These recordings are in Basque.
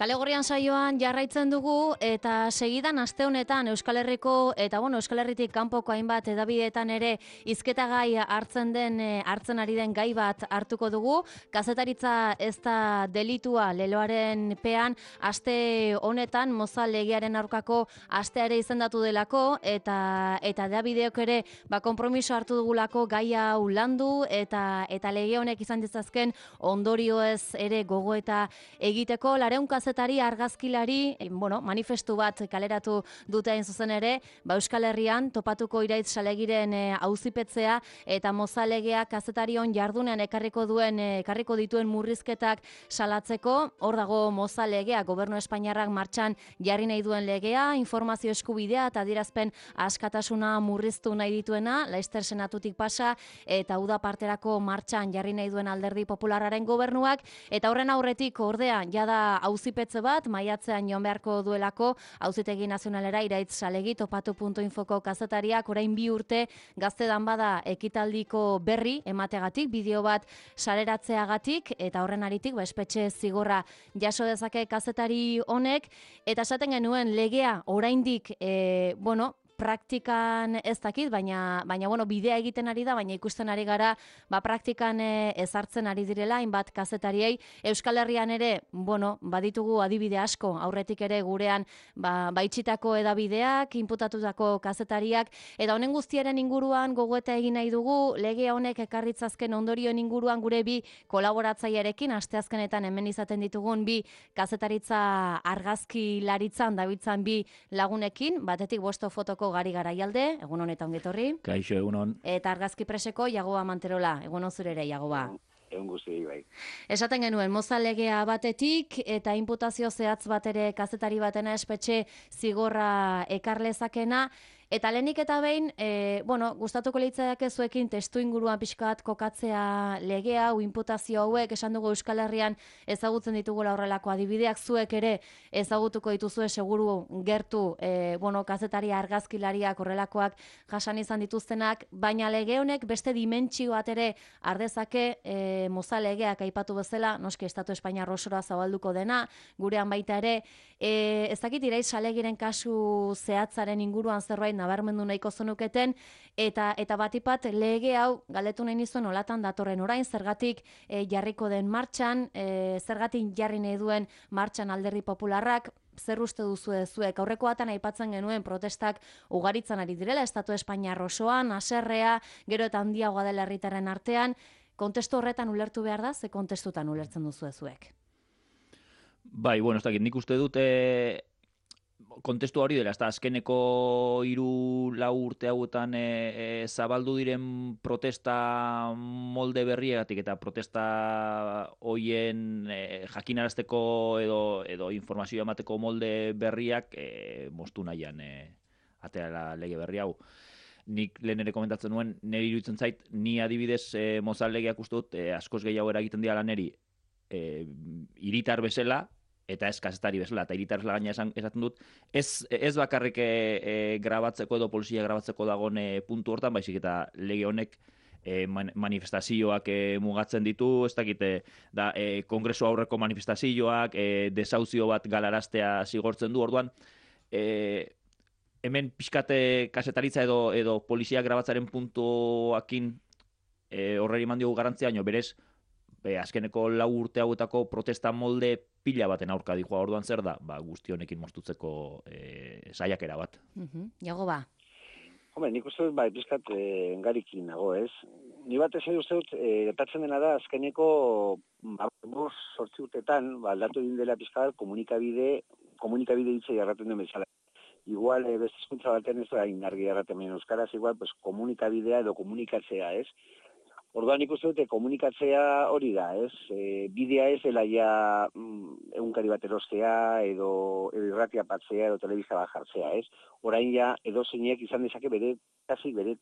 Kale Gorrian saioan jarraitzen dugu eta segidan aste honetan Euskal Herriko eta Euskal Herritik kanpoko hainbat hedabideetan ere hizketagai hartzen ari den gai bat hartuko dugu. Kazetaritza ez da delitua leloaren pean aste honetan Mozal legearen aurkako astea ere izendatu delako eta hedabideok ere konpromiso hartu dugulako gai hau landu eta lege honek izan ditzazken ondorioez ere gogoeta egiteko. 200 kazetari argazkilari manifestu bat kaleratu dute hain zuzen ere, Euskal Herrian topatuko iraitz salegiren auzipetzea eta Mozal legea kazetarion jardunean ekarriko dituen murrizketak salatzeko. Hor dago Mozal legea, Gobernu Espainiarrak martxan jarri nahi duen legea, informazio eskubidea eta adierazpen askatasuna murriztu nahi dituena, Laster Senatutik pasa eta uda parterako martxan jarri nahi duen Alderdi Popularraren gobernuak, eta horren aurretik ordea jada auzipetze bat maiatzean joan beharko duelako Auzitegi Nazionalera iraitz salegi topatu.infoko kazetariak orain 2 urte gaztedan bada ekitaldiko berri emategatik, bideo bat sareratzeagatik, eta horren aritik espetxe zigorra jaso dezake kazetari honek, eta esaten genuen legea oraindik praktikan ez dakit, baina bidea egiten ari da, baina ikusten ari gara praktikan ezartzen ari direla hainbat kazetariei. Euskal Herrian ere, baditugu adibide asko, aurretik ere gurean baitxitako edabideak, inputatutako kazetariak, eta honen guztiaren inguruan gogoeta egin nahi dugu, lege honek ekarritzazken ondorioen inguruan gure 2 kolaboratzailearekin, asteazkenetan hemen izaten ditugun 2 kazetaritza argazkilaritzan dabiltzan 2 lagunekin, batetik Bosto Fotoko Gari Garaialde, egun honetan ongetorri. Kaixo, egunon. Eta argazki preseko Jagoba Manterola, egun on zure ere, Jagoba. Egun guzti, bai. Esaten genuen, Mozal legea batetik eta inputazio zehatz bat ere kazetari batena espetxe zigorra ekarlezakena, eta lehenik eta behin, gustatuko litzaiake zuekin testu inguruan pixka bat kokatzea legea, inputazio hauek, esan dugu Euskal Herrian ezagutzen ditugula horrelako adibideak, zuek ere ezagutuko dituzue seguru gertu, kazetari argazkilariak horrelakoak jasan izan dituztenak, baina lege honek beste dimentsio bat ere ardezake, Mozal legeak aipatu bezala, noski Estatu Espainiar osora zabalduko dena, gurean baita ere, ez dakit iraitz salegiren kasu zehatzaren inguruan zerbait nabarmendu nahiko zenuketen, eta batipat lege hau galdetu nahi nizuen olatan datorren orain, zergatik jarriko den martxan, zergatik jarri nahi duen martxan Alderdi Popularrak, zer uste duzu zuek? Aurreko batan aipatzen genuen protestak ugaritzen ari direla, Estatu Espainiar osoan, haserrea, gero eta handiagoa dela herritarren artean, kontestu horretan ulertu behar da, ze kontestutan ulertzen duzu zuek? Bai, ez dakit, nik uste dut kontestu hori dela, ez da, azkeneko 3-4 urte hauetan zabaldu diren protesta molde berriagatik eta protesta hoien jakinarazteko edo informazioa emateko molde berriak moztu nahian atera lege berri hau. Nik lehen ere komentatzen nuen, niri iruditzen zait, ni adibidez Mozal legeak uste dut askoz gehiago eragiten dira niri hiritar bezala, eta ez kazetari bezala, eta hiritar bezala gaina esaten dut, ez bakarrik grabatzeko edo polizia grabatzeko dagoen puntu hortan, baizik eta lege honek manifestazioak mugatzen ditu, ez dakite, kongresu aurreko manifestazioak, desauzio bat galaraztea zigortzen du, orduan, hemen pixkate kazetaritza edo polizia grabatzaren puntuakin horreri eman diogu garantzia, baina berez, azkeneko 4 urte hauetako protesta molde pila baten aurka dijoa, orduan zer da, guzti honekin moztutzeko saiakera bat. Jagoba. Nik uste dut, pizkat engarikin nago, ez? Ni bat ez uste dut, gertatzen dena da, azkeneko 8 urtetan, aldatu egin dela pizkat komunikabide hitza jarraten duen bezala. Igual, beste hizkuntza batean ez da, inargi jarraten duen euskaraz, igual, komunikabidea edo komunikatzea, ez? Orduan ikusten dute komunikatzea hori da, ez? Bidea ez dela ja egunkari bat erostea, edo irratia batzea, edo telebista bat jartzea, ez? Orain ja edo zeinek izan dezake bere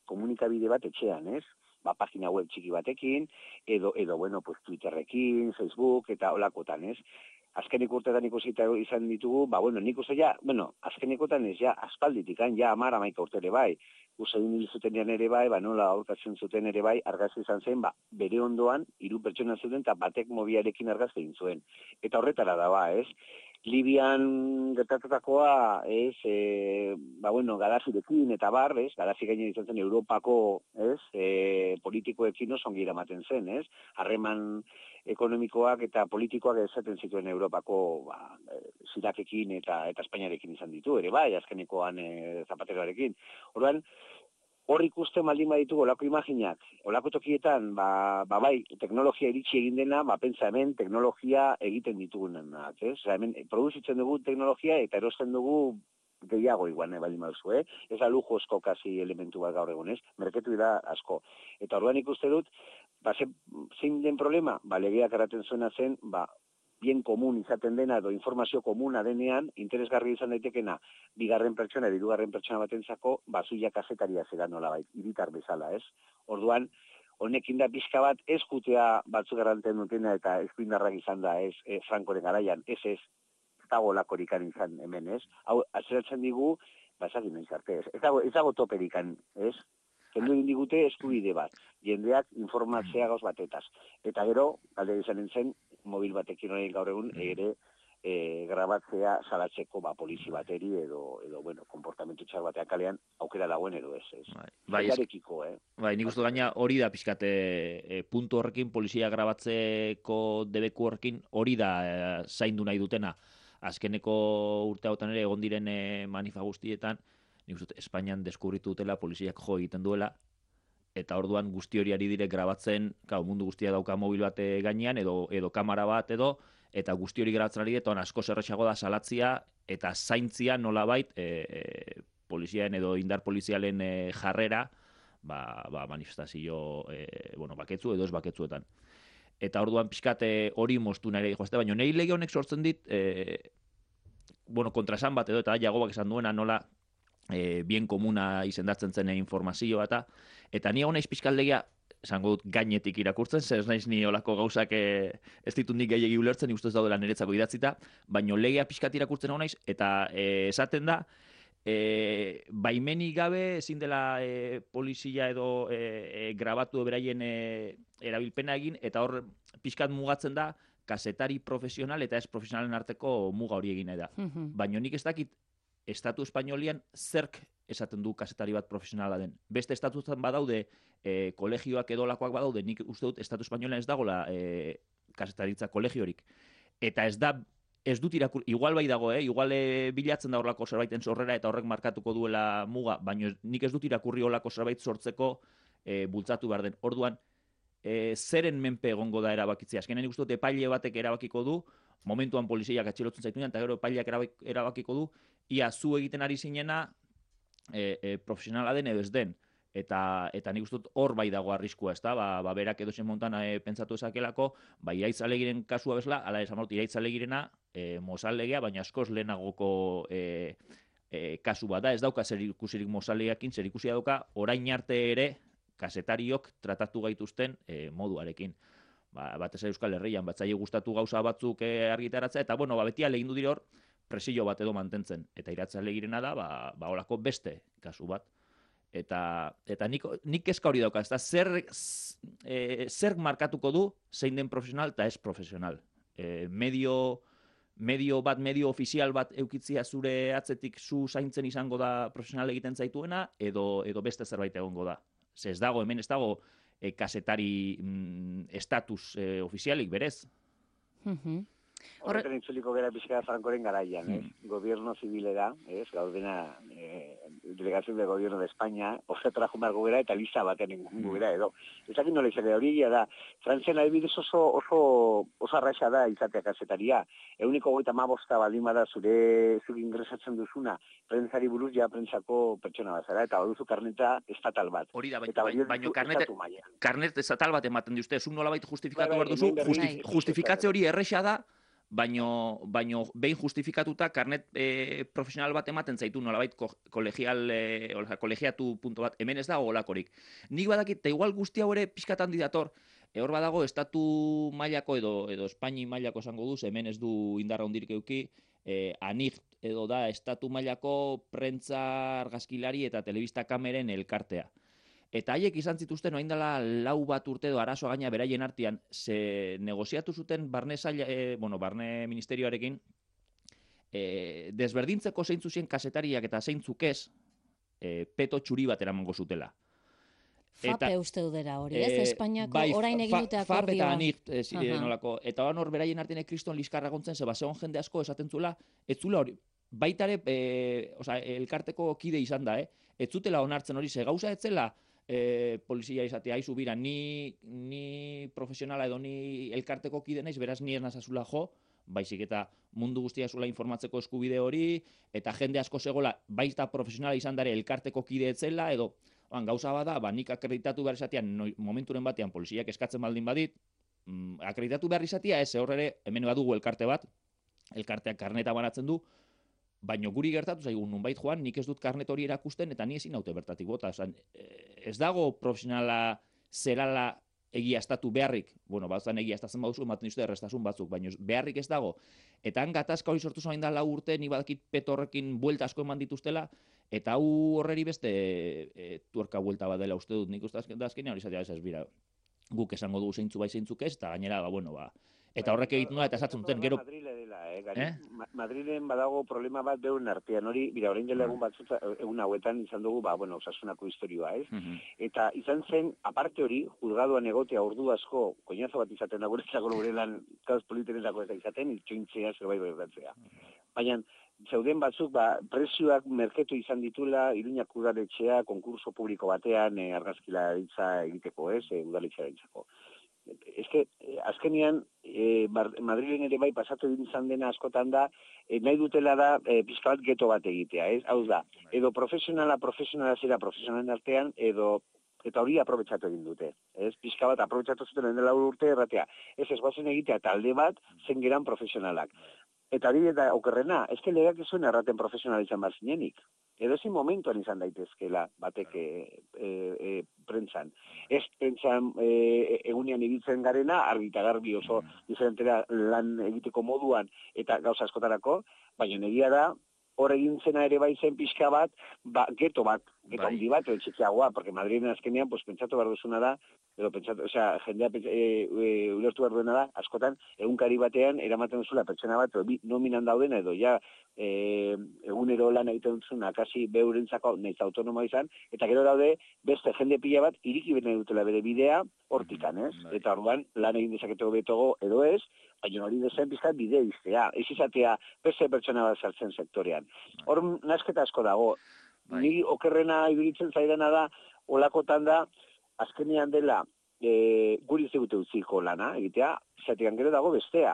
komunikabide bat etxean, ez? Pagina web txiki batekin, edo Twitterrekin, Facebook, eta holakotan, ez? Azkenik urtetan ikusita izan ditugu, nik uste azkenikotan ez ja aspalditik, ja 10-11 urte ere bai. Usain hil zutenean ere bai, nola aurkatzen zuten ere bai, argazki izan zen, bere ondoan, 3 pertsona zuten, eta batek mobiarekin argazki egin zuen. Eta horretara da, ez? Libian gertatutakoa, Gaddafirekin eta bar, Gaddafi gainen izan zen Europako, politikoekin oso ongi eramaten zen, harreman ekonomikoak eta politikoak esaten zituen Europako, Zirakekin eta Espainiarekin izan ditu, ere bai, azkenekoan Zapateroarekin. Orduan, hor ikusten baldin baditu olako imaginak, olako tokietan, bai, teknologia iritsi egin dena, pentsa hemen teknologia egiten ditugunenak, hemen produzitzen dugu teknologia eta erosten dugu gehiago igual, baldin baduzu, Ez da lujozko kasi elementu bat gaur egun, merketu da asko. Eta orduan ikuste dut, zein den problema? Legeak eraten zuena zen, bien komun izaten dena edo informazio komuna denean, interesgarri izan daitekena, bigarren pertsona, hirugarren pertsona batentzako, zuia kazetaria zera nolabait, hiritar bezala, Orduan, honekin da pixka bat, ez jutea batzuk erranten dutena eta eskuindarrak izan da, Frankoren garaian, ez dago lakorikan izan hemen, Hau, atzeratzen digu, ezakin nahi zarte, ez dago toperikan, Kendu egin digute eskubide bat, jendeak informatzea gauz batetaz. Eta gero, galde izanen zen, mobil batekin horrein gaur egun, ere grabatzea salatzeko polizi bateri edo konportamentu txar batean kalean aukera dagoen edo ez. Jarekiko, Bai, nik uste gaina hori da pixkate puntu horrekin, polizia grabatzeko debeku horrekin hori da zaindu nahi dutena. Azkeneko urte hautan ere egon diren manifa guztietan, nik uste Espainian deskubritu dutela poliziak jo egiten duela, eta orduan guzti hori ari dire grabatzen, mundu guztia dauka mobil bat gainean, edo kamera bat eta guzti hori grabatzen ari eta asko zerrexago da salatzia, eta zaintzia nolabait poliziaen edo indar polizialen jarrera, manifestazio baketzu edo ez baketzuetan. Eta orduan pixkate hori moztu nahi joazte, baina nahi lege honek sortzen dit, kontrasan bat edo, eta Jagobak esan duena nola, bien komuna izendatzen zen informazioa eta ni hau naiz pixkaldegia, esango dut gainetik irakurtzen, ez naiz ni olako gauzak ez ditut nik gehiagi ulertzen, ustez daudela niretzako idatzita, baino legea pixkat irakurtzen hau naiz, eta esaten da, baimenik gabe ezin dela polizia edo grabatu beraien erabilpena egin, eta hor pixkat mugatzen da, kazetari profesional eta ez profesionalen arteko muga hori egin da. Baina nik ez dakit Estatu Espainolian zerk esaten du kazetari bat profesionala den. Beste estatuetan badaude, kolegioak edo lakoak badaude, nik uste dut Estatu Espainolian ez dagoela kazetaritza kolegiorik. Eta ez dut igual bai dago, igual bilatzen da horlako zerbaiten sorrera eta horrek markatuko duela muga, baina nik ez dut irakurri horlako zerbait sortzeko bultzatu behar den. Orduan, zeren menpe egongo da erabakitzea. Azkenean nik uste dut epaile batek erabakiko du, momentuan poliziak atxilotzen zaitunean, eta gero epaileak erabakiko du, ia zu egiten ari zinena profesionala den edo ez den. Eta nik uste dut hor bai dago arriskua, ez da? Berak edozen montan pentsatu ezakelako, Iraitz Alegiren kasua bezala, ala esan mort, Iraitz Alegirena mozallegea, baina askoz lehenagoko kasu bat da, ez dauka zer ikusirik mozallegakin, zer ikusia dauka orain arte ere kazetariok tratatu gaituzten moduarekin. Batez Euskal Herrian, batzaile gustatu gauza batzuk argitaratzea, eta beti alegin du dire hor, presio bat edo mantentzen. Eta Iraitz Alegirena da, holako beste kasu bat. Eta nik kezka hori dauka, zer markatuko du zein den profesional eta ez profesional. Medio ofizial bat eukitzia zure atzetik zu zaintzen izango da profesional egiten zaituena, edo beste zerbait egongo da. Ez dago, hemen ez dago kazetari estatus ofizialik berez. Horretan itzuliko gara pixka Frankoren garaian, gobierno zibilera, gaudena delegación del gobierno de España, horretara jumargo gara eta lista baten engungu gara edo. Ezakin nola izate hori da, Frantzian adibidez oso arraixa da izatea kazetaria. 135 baldin bada zure ingresatzen duzuna, prentzari buruz ja prentzako pertsona bazara, eta baduzu karneta estatal bat. Hori da, baina karnet estatal bat ematen diuzte, zuk nolabait justifikatu behar duzu, justifikatze hori erresa da, baino behin justifikatuta karnet profesional bat ematen zaitu nolabait kolegiatu punto bat, hemen ez dago olakorik. Nik badakit, eta igual guzti hau ere pixkatan didator, hor badago estatu mailako edo Espaini mailako esango duz, hemen ez du indarra hondirik euki, ANIF edo da estatu mailako prentza argazkilari eta telebista kameren elkartea. Eta haiek izan zituzten orain dela 4 bat urte edo arazoa gaina beraien artean, ze negoziatu zuten barne ministerioarekin, desberdintzeko zeintzu zien kazetariak eta zeintzuk ez, peto txuri bat eramango zutela. FAPE uste dudera hori, ez? Espainiako orain egin dute akordioa. FAP eta ANIC, nolako. Eta hor beraien artean kriston liskarra gontzen, zeba zegoen jende asko esaten zula, ez zula hori, baitare, elkarteko kide izan da, ez zutela onartzen hori, ze gauza etzela, polizia izatea, aizu bira, ni profesionala edo ni elkarteko kide naiz, beraz ni ez nazazula jo, baizik eta mundu guztia zula informatzeko eskubide hori, eta jende asko zegoela, baita profesionala izan dare elkarteko kide etzela, edo gauza bada, nik akreditatu behar izatean, momenturen batean poliziak eskatzen baldin badit, akreditatu behar izatea, ez horre, hemen badugu elkarte bat, elkarteak karneta banatzen du, baina guri gertatu zaigu nunbait joan, nik ez dut karnet hori erakusten, eta ni ezin naute bertatik bota. Ez dago profesionala zerala egiaztatu beharrik, batzan egiaztatzen baduzu, ematen dizute errestasun batzuk, baina beharrik ez dago. Eta han gatazka hori sortu zain da 4 urte, ni badakit petorrekin buelta asko eman dituztela, eta horreri beste tuerka buelta bat dela uste dut, nik uste azkenean hori zatea ez bira. Guk esango dugu zeintzu bai zeintzuk ez, eta gainera, eta horrek egiten da, eta esatzen duten, gero... Madrilen badago problema bat beuen artean, hori, bira, orain dela egun batzut, egun hauetan izan dugu, osasunako historioa, ez? Eta izan zen, aparte hori, juzgadoan egotea ordu asko, koinazo bat izaten da, gure lan, kauz politerenako eta izaten, itxointzea, zerbait berdatzea. Baina, zeuden batzuk, presioak merketu izan ditula, Iruñak udaletxea, konkurso publiko batean, argazkilaritza egiteko, ez, udaletxearentzako. Azkenean, Madrilen ere bai pasatu izan dena askotan da, nahi dutela da pixka bat geto bat egitea, ez? Hau da, edo profesionala zera profesionalen artean, eta hori aprobetsatu egin dute, ez? Pixka bat aprobetsatu zuten dela urte erratea. Ez guazen egitea talde bat zen geran profesionalak. Eta hori eta okerrena, ez que legeak ez zuen erraten profesional izan bat zinenik. Edo ezin momentuan izan daitezkela batek prentsan. Ez prentsan egunean ibiltzen garena, argi eta garbi oso diferentera lan egiteko moduan eta gauza askotarako, baina egia da, hor egin zena ere bai zen pixka bat, geto handi bat, edo txikiagoa, porque Madrilen azkenean, pentsatu behar duzuna da, edo pentsatu, jendea ulertu behar duena da, askotan, egunkari batean, eramaten duzula pertsona bat, nominan daudena, edo ja, egunero lan egiten duzuna, kasi beurentzako nahiz autonomoa izan, eta gero daude, beste jende pila bat, iriki bene dutela bere bidea, hortikan, ez? Eta orduan, lan egin dezaketeko betogo, edo ez, baina hori dezen pizkat bidea iztea, ez izatea beste pertsona bat sartzen sektorean. Hor nasketa asko dago, ni okerrena ibiritzen zaidana da, olakotan da, azkenean dela, guri zegute utziko lana, egitea, zatean gero dago bestea.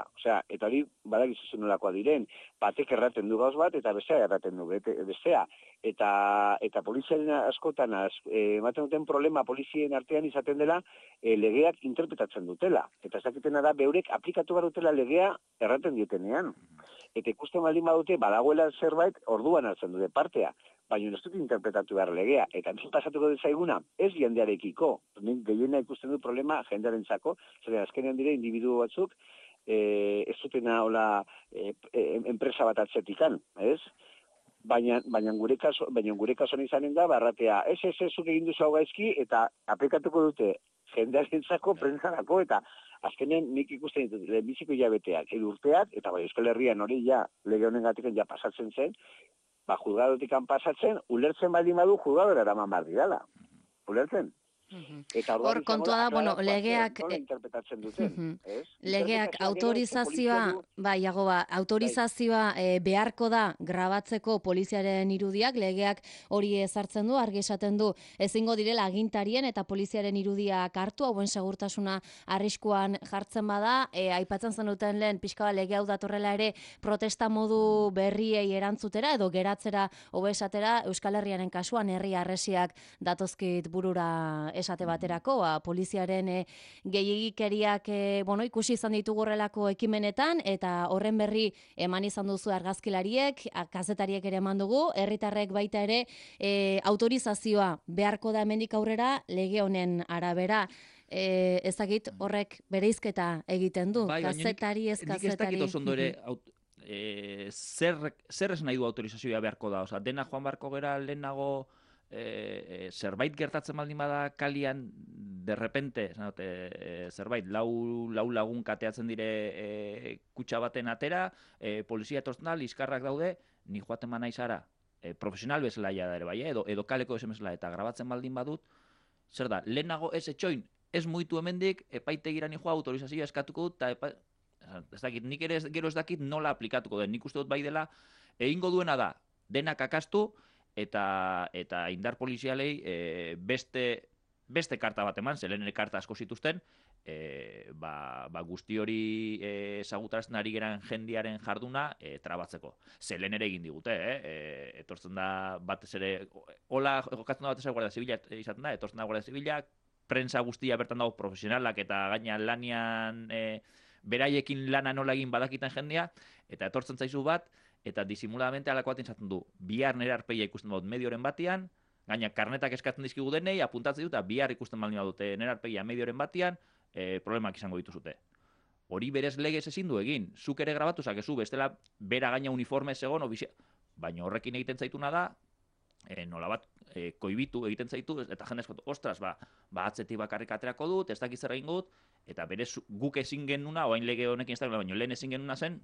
Eta hori badakizu nolakoa diren, batek erraten du gauz bat, eta bestea erraten du bestea. Eta poliziaren askotan, ematen duten problema polizien artean izaten dela, legeak interpretatzen dutela. Eta ez dakitena da, beurek aplikatu behar dutela legea erraten dietenean. Eta ikusten baldin badute, badagoela zerbait, orduan hartzen dute partea. Baina ez dut interpretatu behar legea. Eta nik pasatuko dezaiguna, ez jendearekiko. Nik gehiena ikusten dut problema jendearentzako, zer azkenean dire individu batzuk, ez dutena hola enpresa bat atzetikan, ez? Baina gure kasuan izanen da, barratea, ez zuk egin duzu hau gaizki, eta aplikatuko dute jendearentzako, prentzarako, eta azkenean nik ikusten ditut, lehenbiziko hilabeteak, urteak, eta Euskal Herrian hori lege honengatik pasatzen zen, juzgadotik pasatzen, ulertzen baldin badu juzgadora eraman behar didala. Ulertzen? Hor kontua da, legeak autorizazioa, autorizazioa beharko da grabatzeko poliziaren irudiak, legeak hori ezartzen du, argi esaten du, ezingo direla agintarien eta poliziaren irudiak hartu, hauen segurtasuna arriskuan jartzen bada, aipatzen zenuten lehen pixka lege hau datorrela ere protesta modu berriei erantzutera edo geratzera hobesatera, Euskal Herriaren kasuan herri harresiak datozkit burura esate baterako, poliziaren gehiagikeriak ikusi izan ditugu horrelako ekimenetan, eta horren berri eman izan duzu argazkilariek, kazetariek ere eman dugu, herritarrek baita ere autorizazioa beharko da hemendik aurrera lege honen arabera. Ezagit horrek bereizketa egiten du, kazetari ez kazetari. Nik ez dakit oso ondo ere, zer ez nahi du autorizazioa beharko da, dena joan beharko gera lehenago zerbait gertatzen baldin bada kalian derrepente, zerbait, lau lagun kateatzen dire kutxa baten atera, polizia etortzen da, liskarrak daude, ni joaten ba naiz ara, profesional bezala ja da ere bai, edo kaleko esan bezala, eta grabatzen baldin badut, zer da, lehenago ez etxoin, ez muitu hemendik, epaitegira ni joa autorizazioa eskatuko dut, eta ez dakit, nik ere gero ez dakit nola aplikatuko den, nik uste dut bai dela, egingo duena da, denak akastu, eta indar polizialei beste karta bat eman, zelen ere karta asko zituzten, guzti hori ezagutarazten ari geran jendiaren jarduna trabatzeko. Zelen ere egin digute, etortzen da batez ere, hola jokatzen da batez ere Guardia Zibila izaten da, etortzen da Guardia Zibila, prensa guztia bertan dago profesionalak eta gaina lanian beraiekin lana nola egin badakitan jendea, eta etortzen zaizu bat, eta disimuladamente alako bat izaten du, bihar nire arpeia ikusten dut medioren batian, gaina karnetak eskatzen dizkigu denei, apuntatzen dut, eta bihar ikusten baldin badute nire arpeia medioren batian, problemak izango dituzute. Hori berez legez ezin du egin, zuk ere grabatu zakezu, bestela bera gaina uniforme egon, baina horrekin egiten zaituna da, nolabat koibitu egiten zaitu, eta jende eskatu, ostras, atzetik bakarrik aterako dut, ez dakiz zer egingo dut, eta berez guk ezin genuna, oain lege honekin ez da, baina lehen ezin genuna zen,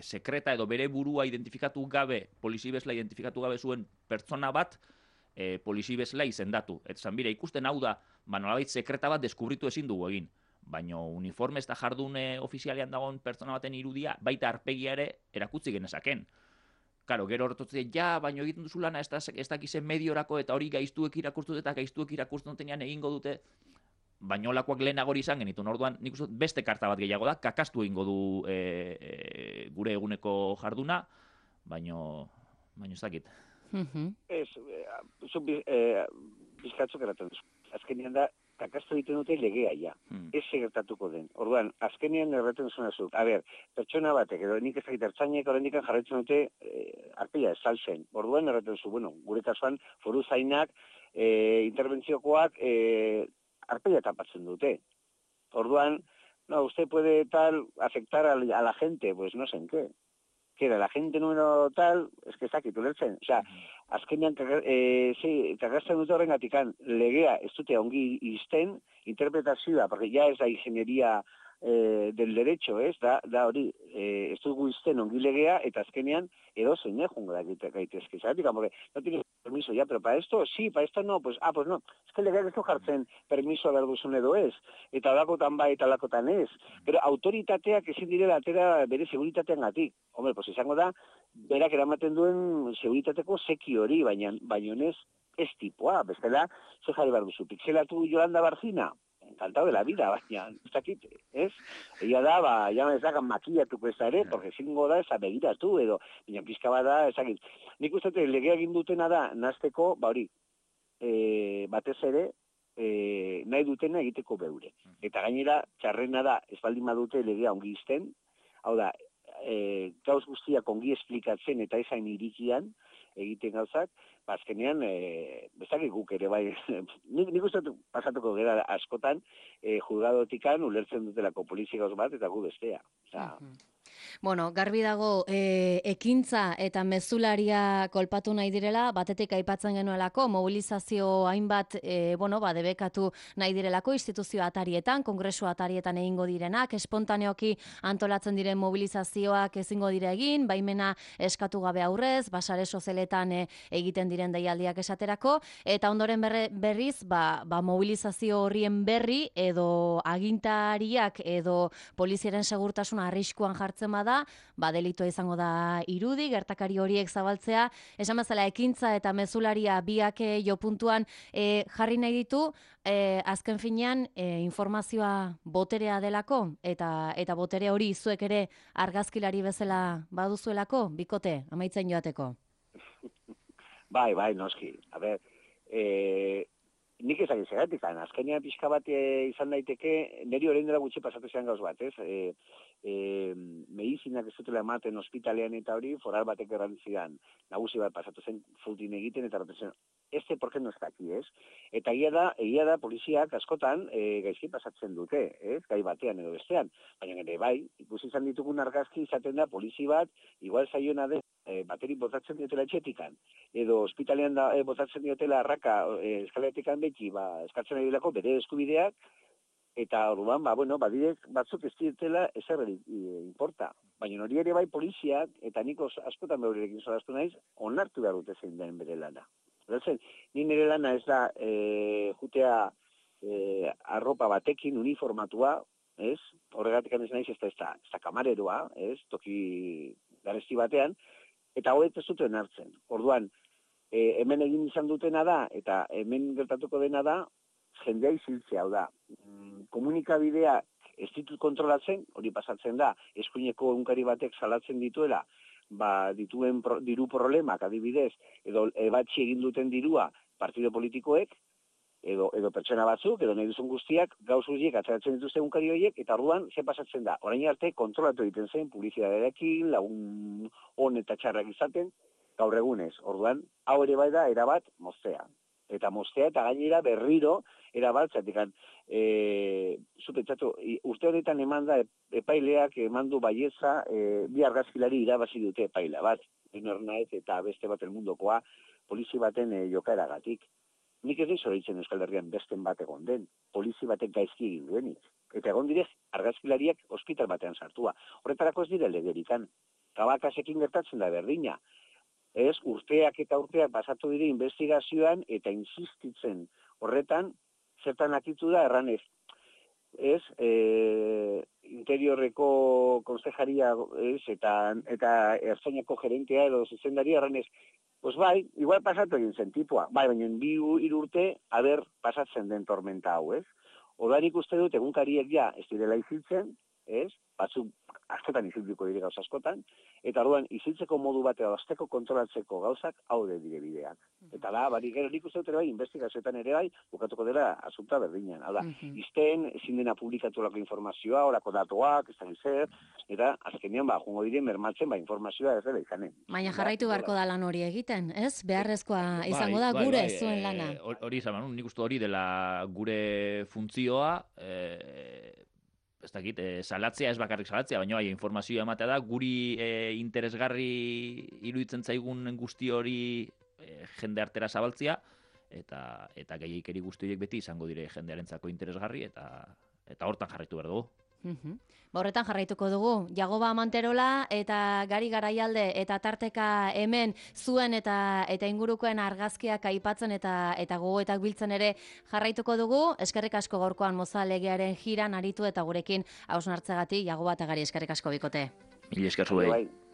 sekreta edo bere burua identifikatu gabe, polizi bezala identifikatu gabe zuen pertsona bat, polizi bezala izendatu. Eta zan bire, ikusten hau da, nolabait sekreta bat deskubritu ezin dugu egin. Baina uniforme ez da jardune ofizialean dagoen pertsona baten irudia, baita arpegia ere erakutzi genezaken. Karo, gero horretotze, baina egiten duzu lana ez dakizen mediorako eta hori gaiztuek irakurtu eta gaiztuek irakurtzen dutenean egingo dute, baina olakoak lehenagori izan genitun. Orduan, nik uste beste karta bat gehiago da, kakastu egingo du gure eguneko jarduna, baina ez dakit. Ez, bizkatzuk eraten duzu. Azkenean da, kakastu egiten dute legea ja. Ez segertatuko den. Orduan, azkenean erraten zuen azuk. A ber, pertsona batek, edo nik ez dakit ertzainek horrendikan jarraitzen dute arpeia ez saltzen. Orduan erraten zu, gure kasuan foru zainak, interbentziokoak arpeia tapatzen dute. Orduan, usted puede tal afectar a la gente, pues no sé en qué. Que era la gente número tal, es que ez dakit ulertzen. O sea, azkenean kagazten dute horrengatikan legea ez dute ongi izten, interpretazioa, porque ya es la ingeniería del derecho, ez? Da hori, ez dugu izten ongi legea, eta azkenean edo zein jungo da gaitezke. Zeratik, porque no tienes permiso ya, pero para esto sí, para esto no, pues no. Es que legeak ez du jartzen permiso behar duzun edo ez, eta alakotan bai eta alakotan ez. Pero autoritateak ezin direla atera bere seguritatean gatik. Hombre, pues izango da, berak eramaten duen seguritateko seki hori, baina ez tipoa, bestela, ze jarri behar duzu, pixelatu Yolanda Barcina, encantado de la vida, baina, ez dakit, ez? Egia da, ja ez dakan makillatuko ez ere, porque zingo da, eza begiratu, edo, baina pizka bada, ez dakit. Nik uste legea egin dutena da, nazteko, hori, batez ere, nahi dutena egiteko beure. Eta gainera, txarrena da, ez baldin badute legea ongi izten, hau da, gauz guztiak ongi esplikatzen eta ezain irikian egiten gauzak, azkenean, bezakik guk ere bai, nik uste pasatuko gara askotan, juzgadotikan ulertzen dutelako polizia gauz bat eta gu bestea. Bueno, garbi dago, ekintza eta mezularia kolpatu nahi direla, batetik aipatzen genuelako, mobilizazio hainbat, debekatu nahi direlako, instituzio atarietan, kongresu atarietan egingo direnak, espontaneoki antolatzen diren mobilizazioak ezingo dire egin, baimena eskatu gabe aurrez, basare sozialetan egiten diren deialdiak esaterako, eta ondoren berriz, mobilizazio horrien berri, edo agintariak, edo poliziaren segurtasuna arriskuan jartzen bada, delitua izango da irudi, gertakari horiek zabaltzea, esan bezala ekintza eta mezularia biak jo puntuan jarri nahi ditu, azken finean informazioa boterea delako, eta botere hori zuek ere argazkilari bezala baduzuelako, bikote, amaitzen joateko. Bai, noski. A ber, nik ezagin zeratik, azkenean pixka bat izan daiteke, niri orain dela gutxi pasatu zean gauz bat, ez? Medizinak ez dutela ematen ospitalean eta hori, foral batek errantzidan, nagusi bat pasatu zen fultin egiten, eta roten zen, ¿por qué no está aquí, ez? Eta egia da poliziak askotan gaizki pasatzen dute, ez? Gai batean edo bestean, baina ere bai, ikusi izan ditugun argazki izaten da polizi bat, igual zaiona den, bateri botatzen diotela etxetikan, edo ospitalean botatzen diotela arraka eskaletikan beti eskatzen ari delako bere eskubideak, eta orduan, badirek batzuk ez ditela ezer importa. Baina hori ere bai poliziak, eta nik askotan behorekin solastu naiz, onartu behar dute zein den bere lana. Gertzen, ni nire lana ez da jutea arropa batekin uniformatua, ez? Horregatik ez naiz ez da kamareroa, ez? Toki garesti batean, eta horiek ez duten hartzen. Orduan, hemen egin izan dutena da, eta hemen gertatuko dena da, jendea iziltzea, hau da. Komunikabidea ez ditut kontrolatzen, hori pasatzen da, eskuineko egunkari batek salatzen dituela, dituen diru problemak adibidez, edo ebatzi egin duten dirua partido politikoek, edo pertsona batzuk, edo nahi duzun guztiak, gauz horiek atzeratzen dituzte egunkari horiek, eta orduan, ze pasatzen da? Orain arte kontrolatu egiten zen, publizitatearekin, lagun on eta txarrak izaten, gaur egunez. Orduan, hau ere bai da, erabat, moztea. Eta moztea, eta gainera berriro, erabat, zatekan, zupetzatu, urte honetan eman da, epaileak emandu baietza, bi argazkilari irabazi dute epaila bat, Inornaet eta beste bat elmundokoa, polizi baten jokaeragatik. Nik ez dizoritzen Euskal Herrian besten bat egon den, polizi batek gaizki egin duenik. Eta egon direz, argazkilariak ospital batean sartua. Horretarako ez dire legerikan. Kabakasekin gertatzen da berdina. Ez, urteak eta urteak pasatu dire investigazioan eta insistitzen horretan, zertan akitu da erranez. Ez, interiorreko konsejaria eta ertzainako gerentea edo zuzendaria erranez, pues bai, igual pasatu egin zen tipua. Bai, baina 2 urte, pasatzen den tormenta hau, ez? Odanik uste dut egunkariek ja ez direla iziltzen, ez? Batzuk askotan izilduko dire gauz askotan, eta orduan iziltzeko modu bat edo azteko kontrolatzeko gauzak haude dire bideak. Eta da, gero nik uste dut ere bai, investigazioetan ere bai, bukatuko dela asunta berdinean. Hau da, izten, ezin dena publikatu lako informazioa, orako datuak, ez da zer, eta azkenean jungo dire mermatzen informazioa ez dela izanen. Baina jarraitu beharko da lan hori egiten, ez? Beharrezkoa izango da gure zuen lana. Hori izan, nik uste hori dela gure funtzioa, ez dakit, salatzea ez bakarrik salatzea, baina bai, informazioa ematea da, guri interesgarri iruditzen zaigun guzti hori jende artera zabaltzea, eta gehiagikeri guzti horiek beti izango dire jendearentzako interesgarri, eta hortan jarraitu behar dugu. Horretan jarraituko dugu, Jagoba Manterola eta Gari Garaialde eta tarteka hemen zuen eta ingurukoen argazkiak aipatzen eta gogoetak biltzen ere jarraituko dugu. Eskerrik asko gaurkoan Moza legearen jiran aritu eta gurekin hausnartzegatik Jagoba eta Gari eskerrik asko bikote. Mila esker zuei.